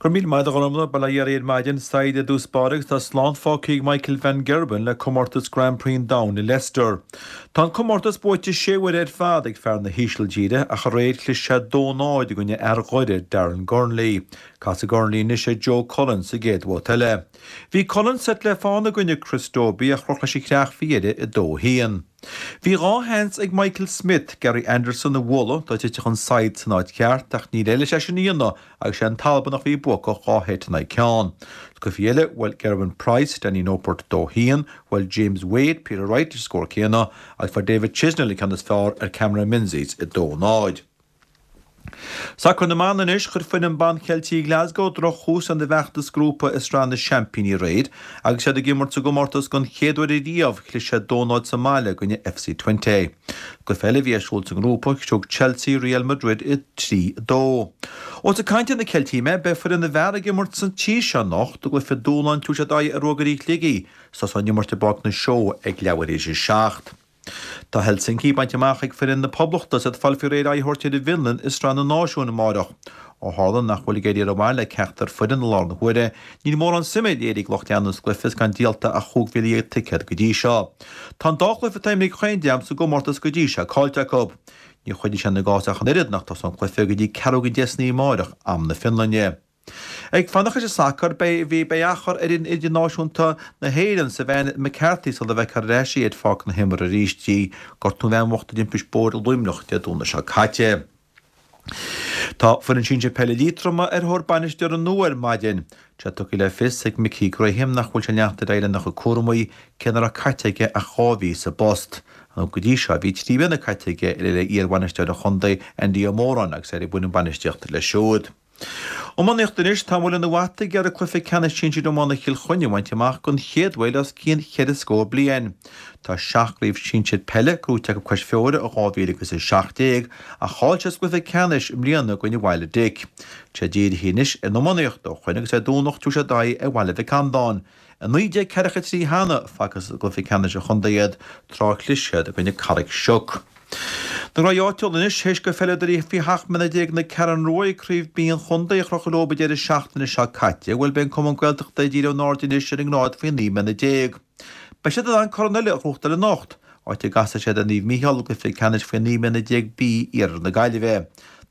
Go raibh míle maith agat a Ghormfhlaith, bail ó Dhia oraibh ar maidin, Said i dtús báire agus tá slán fágtha ag Michael van Gerwen le comórtas Grand Prix an Domhain i Leicester. Tá an comórtas buaite sé huaire ar fad ag fear na hÍsiltíre ach aréir chlis sé 2-0 i gcoinne fhear Dhoire, Darren Gurnley. Casfaidh Gurnley anois ar Joe Cullen sa gcéad bhabhta eile. Bhí Cullen seit le fán i gcoinne Chris Dobey ach chroch leis an chreach faoi dheireadh i 2-1. Bhí 2 sheans ag Michael Smith Gary Anderson a bhualadh dá dtitfeadh an saighead san áit cheart ach níor éirigh leis é sin a dhéanamh agus sé an tAlbanach a bhí buacach 2 sheit in aghaidh ceann. Sa gcluiche eile, bhuail Gerwyn Price, Danny Noppert 2 1, bhuail James Wade, Peter Wright leis an scór céanna agus fuair David Chisnall an ceann is fearr ar Cameron Menzies 2 0. Sacar na mBan anois, chuir foireann ban Cheiltigh Ghlasgow droch-thús lena bhfeachtas grúpa i Sraith na Seaimpíní aréir agus iad ag imirt sa gcomórtas don chéad uair ariamh. Chlis siad 2 0 sa mbaile i gcoinne FC Twente. Cluiche eile a bhí ar siúl sa ngrúpa, thug Chelsea Real Madrid 3, 2. Ós ag caint ar na Ceiltigh mé, beidh foireann na bhfear ag imirt sa tír seo anocht i gcluiche dúshláin tabharfaidh siad aghaidh ar Ruagairí Shligigh. Tosóidh an imirt i bPáirc na Seó ag leathuair théis a 7. Tá Helsinki bainte amach ag foireann na Poblachta is iad ag fáil faoi réir aghaidh a thabhairt ar an bhFionlainn i Sraith na Náisiún amárach. Ó tharla nach bhfuil ag éirí rómhaith le ceachtar foireann i láthair na huaire, níl mórán suime léirithe ag lucht leanúna sa gcluiche is gan díolta ach 15,000 ticéad go dtí seo. Tá an dá chluiche atá imeartha ag chaon dream sa gcomórtas go dtí seo caillte acu. Ní chuideoidh sé lena gcás ach an oiread nach dtosóidh an cluiche go dtí ceathrú don deich san oíche amárach, am na Fionlainne. Ag fanacht leis an sacar, beidh bhí beidh achar ar fhoireann idirnáisiúnta na hÉireann Savannah McCarthy sula bhfeicfear ar ais í ar pháirc na himeartha arís di. Gortú an bhean bhocht i dtimpist bóthair i Luimneach Dé Domhnaigh seo caite. Tá foireann sinsir peile Liatroma ar thóir bainisteora nua ar maidin. Tá sé tugtha le fios ag Mickey Graham nach bhfuil sé ag leanacht ar aghaidh lena chuid cúramaí, cé nach raibh caite aige ach 2 mhí sa bpost. Nó go dtí seo bhí 3 bliana caite aige le iar-bhainisteoir an chontae Andy Ó Móráin agus é ag bhain an bainistíocht leis siúd. Iománaíocht anois, tá Muileann an Bhata ag iarraidh cluiche ceannais sinsir iomána Chill Chainnigh a bhaint amach don chéad uair le os cionn cheithre scór bliain. Tá seacht gcraobh sinsir peile gnóite acu cois Feabhair ó 2017 ach chaill siad sa gcluiche ceannais i mbliana i gcoinne Bhaile Dic. Tá sé dírithe anois ar an iománaíocht ó shoin agus ar Domhnach tabharfaidh siad aghaidh ar Bhaile Mhic Andáin. I 1943 cheana facthas i gcluiche ceannais an chontae iad tráth a chlis siad i gcoinne Carraig Sioc. Na gnóthaí áitiúla anois, théis do pheileadóirí faoi 17 mbliana na Ceathrún Rua Craobh B an chontae a chrochadh leo an deireadh seachtaine seo caite, bhuel beidh an Cumann Gaeltachta ag díriú a n-aird anois ar an ngrád faoi 19 mbliana. Beidh siad in ann corn eile a ghnóthachtáil anocht, áit a gcasfaidh siad ar Naomh Mícheál i gcluiche ceannais faoi 19 mbliana B Iarthar na Gaillimhe.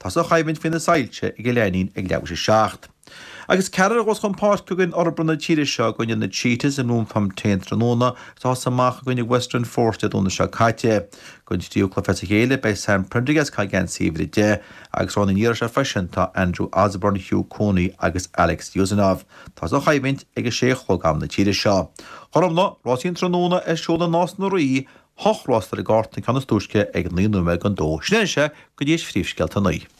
Tosóidh an choimhlint faoi na soilse ag an Leidhnín ag leathuair théis a 7. Agus ceathrar a ghabhfas chun páirce againn Fhorbair na tíre seo i gcoinne na Cheetahs i mBloemfontein tráthnóna is a thosaigh amach i gcoinne Western Force Dé Domhnaigh seo caite. Don tríú cluiche as a chéile beidh Sam Prendergast ag caitheamh geansaí uimhir 10 agus roghnaithe an iarraidh seo freisin tá Andrew Osborne, Hugh Cooney agus Alex Usanov. Tosóidh an choimhlint ag 6 a chlog am na tíre seo. Gormfhlaith, rásaí an tráthnóna ar siúl i Nás na Rí, hocht rás ar an gcárta an ceann is túisce ag 9 nóiméad don dó. Sin é go dtí is phríomhscéalta 9.